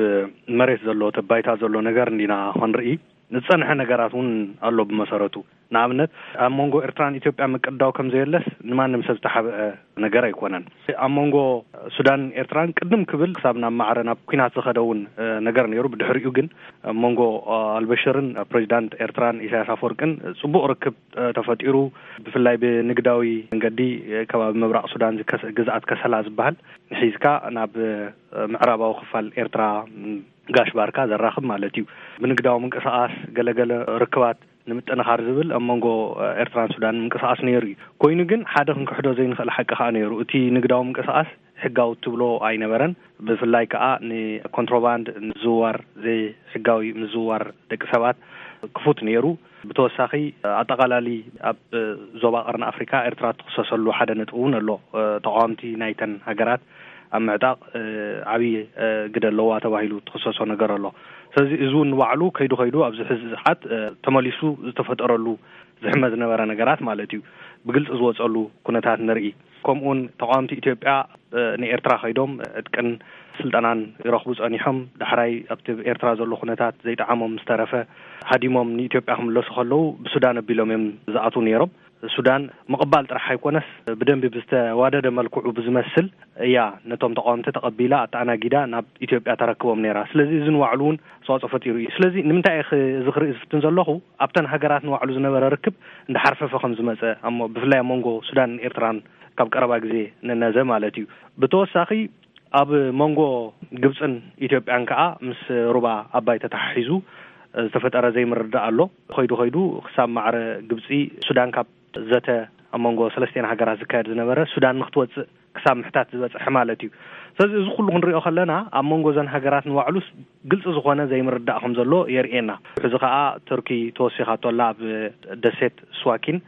መሬት ዘሎ፣ እቲ ኣብ ባይታ ዘሎ ነገር እንዲና ክንርኢ፣ ዝጸንሐ ነገራት እውን ኣሎ ብመሰረቱ። ንኣብነት፣ ኣብ መንጎ ኤርትራን ኢትዮጵያ ምቅዳው ከም ዘየለስ ንማንም ሰብ ዝተሓብአ ነገር ኣይኮነን። ኣብ መንጎ ሱዳንን ኤርትራን ቅድም ክብል ክሳብ ናብ ማዕረ ናብ ኲናት ዝኸደ እውን፣ እ፣ ነገር ነይሩ። ብድሕሪኡ ግን ኣብ መንጎ፣ እ፣ ኣልበሽርን ፕሬዚዳንት ኤርትራን ኢሳያስ ኣፈወርቅን ጽቡቕ ርክብ፣ እ፣ ተፈጢሩ። ብፍላይ ብንግዳዊ መንገዲ፣ እ፣ ከባቢ ምብራቕ ሱዳን ዝከስ-፣ ግዝኣት ከሰላ ዝበሃል ሒዝካ ናብ፣ እ፣ ምዕራባዊ ክፋል ኤርትራ፣ ም፣ ጋሽ ባርካ ዘራኽብ ማለት እዩ። ብንግዳዊ ምንቅስቓስ ገለገለ ርክባት ንምጥንኻር ዝብል ኣብ መንጎ ኤርትራን ሱዳንን ምንቅስቓስ ነይሩ እዩ። ኮይኑ ግን ሓደ ክንክሕዶ ዘይንኽእል ሓቂ ከኣ ነይሩ። እቲ ንግዳዊ ምንቅስቓስ ሕጋዊ ትብሎ ኣይነበረን። ብፍላይ ከኣ ንኮንትሮባንድ፣ ምዝውዋር፣ ዘይሕጋዊ ምዝውዋር ደቂ ሰባት ክፉት ነይሩ። ብተወሳኺ፣ ኣጠቓላሊ ኣብ ዞባ ቀርኒ ኣፍሪካ ኤርትራ ትኽሰሰሉ ሓደ ነጥቢ እውን ኣሎ። ተቃወምቲ ናይተን ሃገራት ኣብ ምዕጣቕ፣ እ፣ ዓብዪ፣ እ፣ ግደ ኣለዋ ተባሂሉ ትኽሰሶ ነገር ኣሎ። ስለዚ እዚ እውን ንባዕሉ ከይዱ ከይዱ ኣብዚ ሕዚ ሰዓት፣ እ፣ ተመሊሱ ዝተፈጠረሉ ዝሕመ ዝነበረ ነገራት ማለት እዩ፣ ብግልፂ ዝወፀሉ ኩነታት ንርኢ። ከምኡውን ተቃወምቲ ኢትዮጵያ፣ እ፣ ንኤርትራ ከይዶም ዕጥቅን ስልጠናን ይረኽቡ ጸኒሖም። ዳሕራይ ኣብቲ ኤርትራ ዘሎ ኩነታት ዘይጠዓሞም ምስ ተረፈ፣ ሃዲሞም ንኢትዮጵያ ክምለሱ ከለዉ ብሱዳን ኣቢሎም እዮም ዝኣትዉ ነይሮም። ሱዳን ምቕባል ጥራሕ ኣይኮነስ፣ ብደንቢ ብዝተዋደደ መልክዑ ብዝመስል እያ ነቶም ተቃወምቲ ተቐቢላ፣ ኣተኣናጊዳ ናብ ኢትዮጵያ ተረክቦም ነይራ። ስለዚ እዚ ንባዕሉ እውን ኣስተዋጽኦ ፈጢሩ እዩ። ስለዚ ንምንታይ እየ ኽ-፣ እዚ ክርኢ ዝፍትን ዘለኹ? ኣብተን ሃገራት ንባዕሉ ዝነበረ ርክብ እንዳሓርፈፈ ከም ዝመጸ፣ ኣብ ሞ-፣ ብፍላይ ኣብ መንጎ ሱዳንን ኤርትራን ካብ ቀረባ ግዜ ንነዘ ማለት እዩ። ብተወሳኺ ኣብ መንጎ ግብጽን ኢትዮጵያን ከኣ ምስ ሩባ ኣባይ ተተሓሒዙ ዝተፈጠረ ዘይምርድዳእ ኣሎ። ኸይዱ ኸይዱ ክሳብ ማዕረ ግብጺ ሱዳን ካብ ዘተ ኣብ መንጎ ሰለስቲኤን ሃገራት ዝካየድ ዝነበረ ሱዳን ንክትወጽእ ክሳብ ምሕታት ዝበጽሐ ማለት እዩ። ስለዚ እዚ ኩሉ ክንሪኦ ከለና ኣብ መንጎ እዘን ሃገራት ንባዕሉስ ግልጺ ዝኾነ ዘይምርዳእ ከም ዘሎ የርእየና። ሕዚ ከኣ ቱርኪ ተወሲኻቶ ኣላ ኣብ ደሴት ስዋኪን።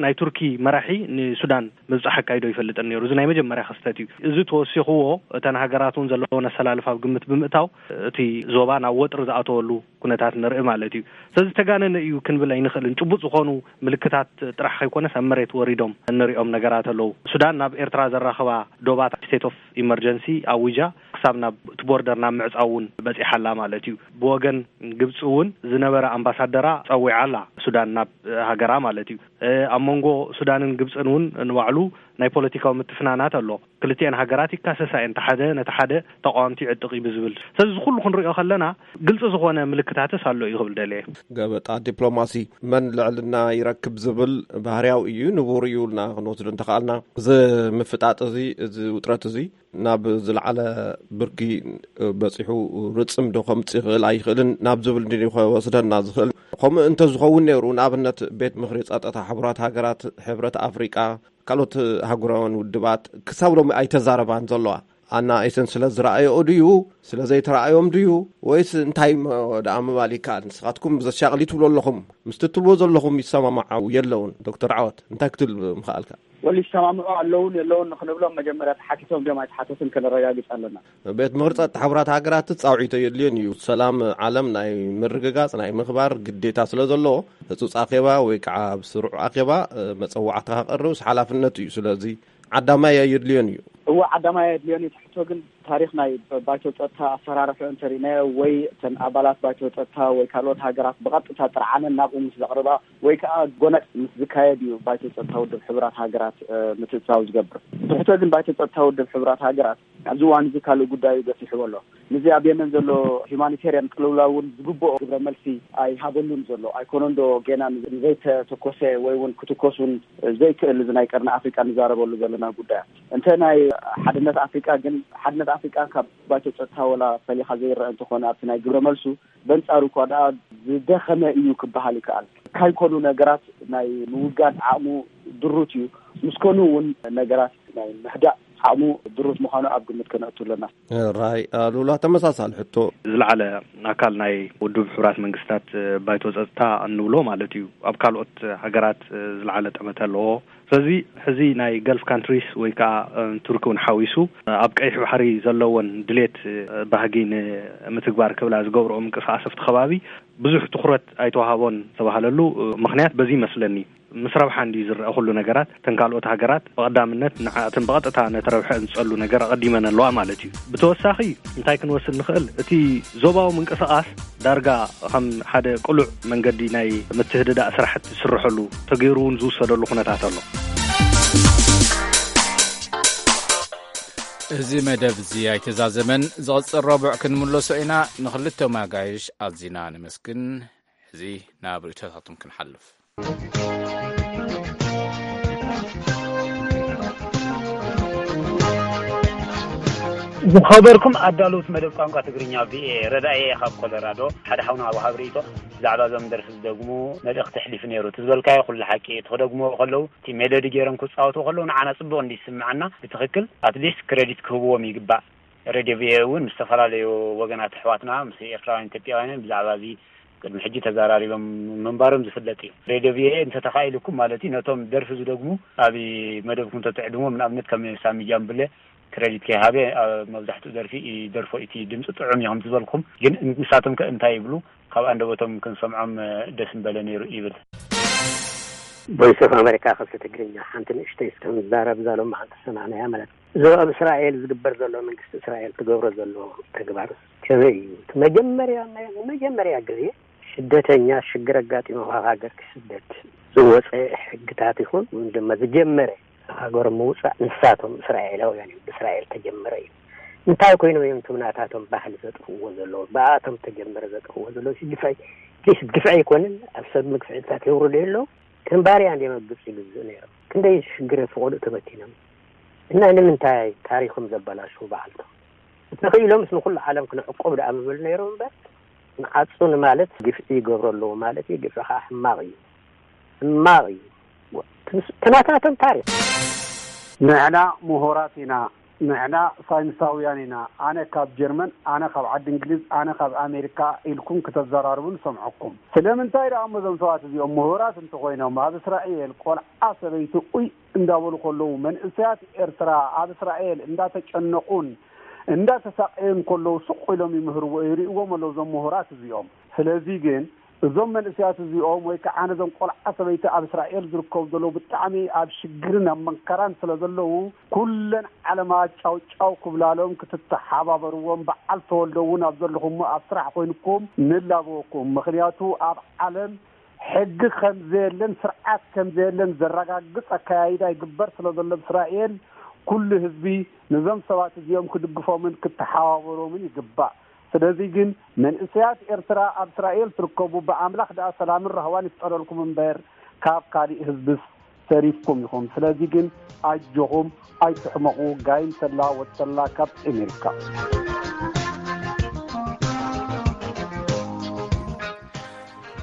ናይ ቱርኪ መራሒ ንሱዳን ምብጻሕ ኣካይዶ ይፈልጥን ነይሩ። እዚ ናይ መጀመርያ ክስተት እዩ። እዚ ተወሲኽዎ እተን ሃገራት እውን ዘለወን ኣሰላልፋ ኣብ ግምት ብምእታው እቲ ዞባ ናብ ወጥሪ ዝኣተወሉ ኩነታት ንርኢ ማለት እዩ። ስለዚ ተጋነነ እዩ ክንብል ኣይንኽእልን። ጭቡጥ ዝኾኑ ምልክታት ጥራሕ ከይኮነስ ኣብ መሬት ወሪዶም እንሪኦም ነገራት ኣለዉ። ሱዳን ናብ ኤርትራ ዘራኽባ ዶባት ስቴት ኦፍ ኢመርጀንሲ ኣዊጃ ክሳብ ናብ እቲ ቦርደር ናብ ምዕጻው እውን በጺሓ ኣላ ማለት እዩ። ብወገን ግብጺ እውን ዝነበረ ኣምባሳደራ ጸዊዓ ኣላ ሱዳን ናብ ሃገራ ማለት እዩ። እ፣ ኣብ መንጎ ሱዳንን ግብጽን እውን ንባዕሉ ናይ ፖለቲካዊ ምትፍናናት ኣሎ። ክልቲኤን ሃገራት ይካሰሳ እየን፣ እቲ ሓደ ነቲ ሓደ ተቃወምቲ ይዕጥቕ እዩ ብዝብል። ስለዚ እዚ ኩሉ ክንሪኦ ከለና ግልጺ ዝኾነ ምልክታትስ ኣሎ እዩ ክብል ደልየ። ገበጣ ዲፕሎማሲ መን ልዕልና ይረክብ ዝብል ባህርያዊ እዩ፣ ንቡር እዩ ኢልና ክንወስዶ እንተኸኣልና፣ እዚ ምፍጣጥ እዚ፣ እዚ ውጥረት እዚ ናብ ዝለዓለ ብርኪ በጺሑ ርጽም ዶ ከምጽእ ይኽእል ኣይኽእልን ናብ ዝብል ድዩ ክወስደና ዝኽእል? ከምኡ እንተዝኸውን ነይሩ፣ ንኣብነት ቤት ምኽሪ ጸጥታ ሕቡራት ሃገራት፣ ሕብረት ኣፍሪቃ፣ ካልኦት ኣህጉራውያን ውድባት ክሳብ ሎሚ ኣይተዛረባን ዘለዋ። ኣና ኤሰን ስለ ዝረኣየኦ ድዩ? ስለ ዘይተረኣዮም ድዩ? ወይስ እንታይ እሞ ደኣ ምባል ይከኣል? ንስኻትኩም ዘሻቕል ትብሉ ኣለኹም። ምስቲ ትብልዎ ዘለኹም ይሰማማዓው የለውን። ዶክተር ዓወት፣ እንታይ ክትብል ምኽኣልካ? ወል ይሰማምዑ ኣለውን የለውን ንክንብሎም መጀመርያ ተሓቲቶም ድዮም ኣይተሓተቱን ከነረጋግጽ ኣለና። ቤት ምኽሪ ጸጥታ ሕቡራት ሃገራት ጻውዒቶ የድልዮን እዩ። ሰላም ዓለም ናይ ምርግጋጽ ናይ ምኽባር ግዴታ ስለ ዘለዎ፣ ህጹጽ ኣኼባ ወይ ከዓ ኣብ ስሩዕ ኣኼባ፣ እ፣ መጸዋዕታ ከቕርብስ ሓላፍነቱ እዩ። ስለዚ ዓዳማይ ኣየድልዮን እዩ። እወ፣ ዓዳማይ ኣየድልዮን እዩ። ትሕቶ ግን ታሪኽ ናይ ባይቶ ጸጥታ ኣፈራርሑ እንተሪእናዮ ወይ እተን ኣባላት ባይቶ ጸጥታ ወይ ካልኦት ሃገራት ብቐጥታ ጥርዓነን ናብኡ ምስ ዘቕርባ ወይ ከዓ ጎነጽ ምስ ዝካየድ እዩ ባይቶ ጸጥታ ውድብ ሕቡራት ሃገራት፣ እ፣ ምትእትታው ዝገብር። ትሕቶ ግን ባይቶ ጸጥታ ውድብ ሕቡራት ሃገራት ኣብዚ እዋን እዚ ካልእ ጉዳዩ ገፊሕዎ ኣሎ። ነዚ ኣብ የመን ዘሎ ሂማኒቴርያን ቅልውላው እውን ዝግብኦ ግብረ መልሲ ኣይሃበሉን ዘሎ። ኣይኮነን ዶ ገና ንዘይተተኮሰ ወይ እውን ክትኮስ እውን ዘይክእል እዚ ናይ ቀርኒ ኣፍሪቃ ንዛረበሉ ዘለና ጉዳያት? እንተ ናይ ሓድነት ኣፍሪቃ ግን፣ ሓድነት ኣፍሪቃ ካብ ባይቶ ጸጥታ ወላ ፈሊኻ ዘይረአ እንተኾነ ኣብቲ ናይ ግብረ መልሱ በንጻሩ እኳ ደኣ ዝደኸመ እዩ ክበሃል ይከኣል። ካይኮኑ ነገራት ናይ ምውጋድ ዓቕሙ ድሩት እዩ። ምስ ኮኑ እውን ነገራት ናይ ምህዳእ ዓቕሙ ድሩት ምዃኑ ኣብ ግምት ከነእቱ ኣለና። ራይ ኣሉላ፣ ተመሳሳሊ ሕቶ። ዝለዓለ ኣካል ናይ ውድብ ሕቡራት መንግስታት ባይቶ ጸጥታ እንብሎ ማለት እዩ፣ ኣብ ካልኦት ሃገራት ዝለዓለ ጠመተ ኣለዎ። ስለዚ ሕዚ ናይ ገልፍ ካንትሪስ ወይ ከዓ ቱርኪ እውን ሓዊሱ ኣብ ቀይሕ ባሕሪ ዘለወን ድሌት ባህጊ ንምትግባር ክብላ ዝገብርኦ ምንቅስቃስ ኣብቲ ከባቢ ብዙሕ ትኹረት ኣይተዋሃቦን ዝተባሃለሉ ምኽንያት በዚ ይመስለኒ። ምስ ረብሓ እንድዩ ዝረኣ ኩሉ ነገራት። እተን ካልኦት ሃገራት ብቐዳምነት ንዓኣተን ብቐጥታ ነቲ ረብሐ ዝጸሉ ነገር ኣቐዲመን ኣለዋ ማለት እዩ። ብተወሳኺ እንታይ ክንወስድ ንኽእል? እቲ ዞባዊ ምንቅስቓስ ዳርጋ ከም ሓደ ቅሉዕ መንገዲ ናይ ምትህድዳእ ስራሕቲ ዝስርሐሉ ተገይሩ እውን ዝውሰደሉ ኩነታት ኣሎ። እዚ መደብ እዚ ኣይተዛዘመን። ዝቕጽል ረቡዕ ክንምለሶ ኢና። ንኽልተ መጋይሽ ኣዚና ነመስግን። እዚ ናብ ርእይቶታቶም ክንሓልፍ። ዝኸበርኩም ኣዳለውቲ መደብ ቋንቋ ትግርኛ ቪኦኤ፣ ረዳኢ እየ ካብ ኮሎራዶ። ሓደ ሓውና ወሃብ ርእይቶ ብዛዕባ እዞም ደርፊ ዝደግሙ መልእኽቲ ኣሕሊፉ ነይሩ። እቲ ዝበልካዮ ኩሉ ሓቂ። እቲ ክደግምዎ ከለዉ፣ እቲ ሜሎዲ ገይሮም ክጻወቱ ከለዉ ንዓና ጽቡቕ እንዲ ይስምዓና፣ ብትኽክል ኣትሊስት ክረዲት ክህብዎም ይግባእ። ሬድዮ ቪኦኤ እውን ምስ ዝተፈላለዩ ወገናት ኣሕዋትና፣ ምስ ኤርትራውያን ኢትዮጵያውያንን ብዛዕባ እዚ ቅድሚ ሕጂ ተዘራሪቦም ምንባሮም ዝፍለጥ እዩ። ሬድዮ ቪኦኤ እንተተኻኢሉኩም ማለት እዩ፣ ነቶም ደርፊ ዝደግሙ ኣብ መደብኩም ተትዕድምዎም፣ ንኣብነት ከም ሳሚ ጃምብለ ክረዲት ከይሃበ ኣብ መብዛሕትኡ ደርፊ ይደርፎ፣ እቲ ድምፂ ጥዑም እዩ ከም ዝበልኩም፣ ግን ንሳቶም ከ እንታይ ይብሉ? ካብ ኣንደበቶም ክንሰምዖም ደስ ምበለ ነይሩ ይብል። ቮይስ ኦፍ ኣሜሪካ ክፍሊ ትግርኛ፣ ሓንቲ ንእሽተይ እስከ ንዛረብ፣ እዛ ሎሚ ሓንቲ ዝሰማዕናያ ማለት እዩ። እዚ ኣብ እስራኤል ዝግበር ዘሎ፣ መንግስቲ እስራኤል ትገብሮ ዘሎ ተግባር ከመይ እዩ? እቲ መጀመርያ፣ መጀመርያ ግዜ ስደተኛ ሽግር ኣጋጢሙ ካብ ሃገር ክስደድ ዝወፀ ሕግታት ይኹን፣ ወይም ድማ ዝጀመረ ሃገር ምውፃእ ንሳቶም እስራኤላውያን እዮም። ብእስራኤል ተጀመረ እዩ። እንታይ ኮይኖም እዮም እቶም ናታቶም ባህሊ ዘጥፍእዎ ዘለዉ? ብኣቶም ተጀመረ ዘጥፍእዎ ዘለዉ ግፍዒ፣ ፕሊስ፣ ግፍዒ ኣይኮነን? ኣብ ሰብ ምግፍዕታት የውርዱ የለዉ? ከም ባርያ እንድዮም ኣብ ግብፂ ይግዝኡ ነይሮም። ክንደይ ሽግር ፈቐድኡ ተበቲኖም። እና ንምንታይ ታሪኾም ዘበላሽዉ በዓልቶም? እንተኽኢሎምስ ንኹሉ ዓለም ክንዕቆብ ደኣ ምበሉ ነይሮም እምበር፣ ንዓጹ ንማለት ግፍዒ ይገብሩ ኣለዉ ማለት እዩ። ግፍዒ ኸዓ ሕማቕ እዩ። ሕማቕ እዩ። ትንስ-፣ ተናታተን ታሪኽ። ንሕና ምሁራት ኢና፣ ንሕና ሳይንሳውያን ኢና፣ ኣነ ካብ ጀርመን፣ ኣነ ካብ ዓዲ እንግሊዝ፣ ኣነ ካብ ኣሜሪካ ኢልኩም ክተዘራርቡ ንሰምዐኩም። ስለምንታይ ደኣ እሞ እዞም ሰባት እዚኦም ምሁራት እንተኾይኖም፣ ኣብ እስራኤል ቆልዓ ሰበይቲ ኡይ እንዳበሉ ከለዉ፣ መንእሰያት ኤርትራ ኣብ እስራኤል እንዳተጨነቑን እንዳተሳቀዩን ከለዉ ስቕ ኢሎም ይምህርዎ፣ ይርእዎም ኣለዉ እዞም ምሁራት እዚኦም። ስለዚ ግን እዞም መንእሰያት እዚኦም ወይ ከዓ ነዞም ቆልዓ ሰበይቲ ኣብ እስራኤል ዝርከቡ ዘለዉ ብጣዕሚ ኣብ ሽግርን ኣብ መንከራን ስለ ዘለዉ፣ ኩለን ዓለማት ጫው ጫው ክብላሎም ክትተሓባበርዎም፣ በዓል ተወልደ እውን ኣብ ዘለኹሞ ኣብ ስራሕ ኮይንኩም ንላበወኩም። ምኽንያቱ ኣብ ዓለም ሕጊ ከም ዘየለን ስርዓት ከም ዘየለን ዘረጋግጽ ኣከያይዳ ይግበር ስለ ዘሎ ኣብ እስራኤል ኩሉ ህዝቢ ነዞም ሰባት እዚኦም ክድግፎምን ክተሓባበሮምን ይግባእ። ስለዚ ግን መንእሰያት ኤርትራ ኣብ እስራኤል ትርከቡ ብኣምላኽ ደኣ ሰላምን ራህዋን ይፍጠረልኩም እምበር ካብ ካሊእ ህዝብስ ተሪፍኩም ኢኹም። ስለዚ ግን ኣጆኹም ኣይትሕመቑ። ጋይም ተላ ወድ ተላ ካብ ኣሜሪካ።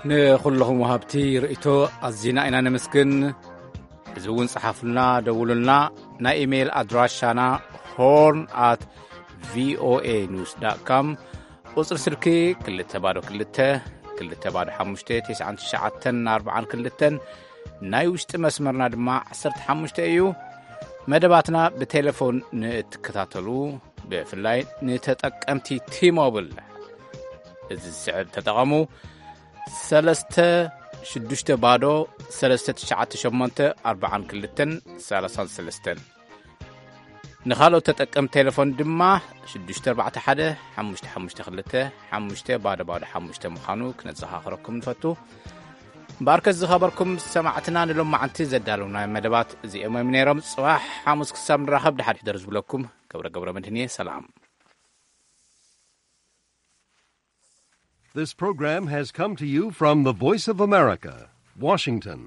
ንኹልኹም ወሃብቲ ርእይቶ ኣዚና ኢና ነመስግን። እዚ እውን ጸሓፉልና፣ ደውሉልና። ናይ ኢሜይል ኣድራሻና ሆርን ኣት ቪኦኤ ኒውስ ዳት ካም፣ ቁጽሪ ስልኪ ክልተ ባዶ ክልተ፣ ክልተ ባዶ ሓሙሽተ፣ ተስዓን ትሽዓተን ኣርባዓን ክልተን፣ ናይ ውሽጢ መስመርና ድማ ዓሰርተ ሓሙሽተ እዩ። መደባትና ብቴሌፎን ንእትከታተሉ፣ ብፍላይ ንተጠቀምቲ ቲሞብል፣ እዚ ዝስዕብ ተጠቐሙ። ሰለስተ ሽዱሽተ ባዶ ሰለስተ ትሽዓተ ሸሞንተ ኣርባዓን ክልተን ሰላሳን ሰለስተን። ንኻልኦት ተጠቀምቲ ቴሌፎን ድማ ሽዱሽተ ኣርባዕተ ሓደ ሓሙሽተ ሓሙሽተ ክልተ ሓሙሽተ ባዶ ባዶ ሓሙሽተ ምዃኑ ክነዘኻኽረኩም ንፈቱ። እምበኣርከስ ዝኸበርኩም ሰማዕትና፣ ንሎማዓንቲ ዘዳለውናዮም መደባት እዚኦም እዮም ነይሮም። ጽባሕ ሓሙስ ክሳብ ንራኸብ ደሓን ሕደሩ ዝብለኩም ገብረ ገብረ መድህን እየ። ሰላም። This program has come to you from the Voice of America, Washington.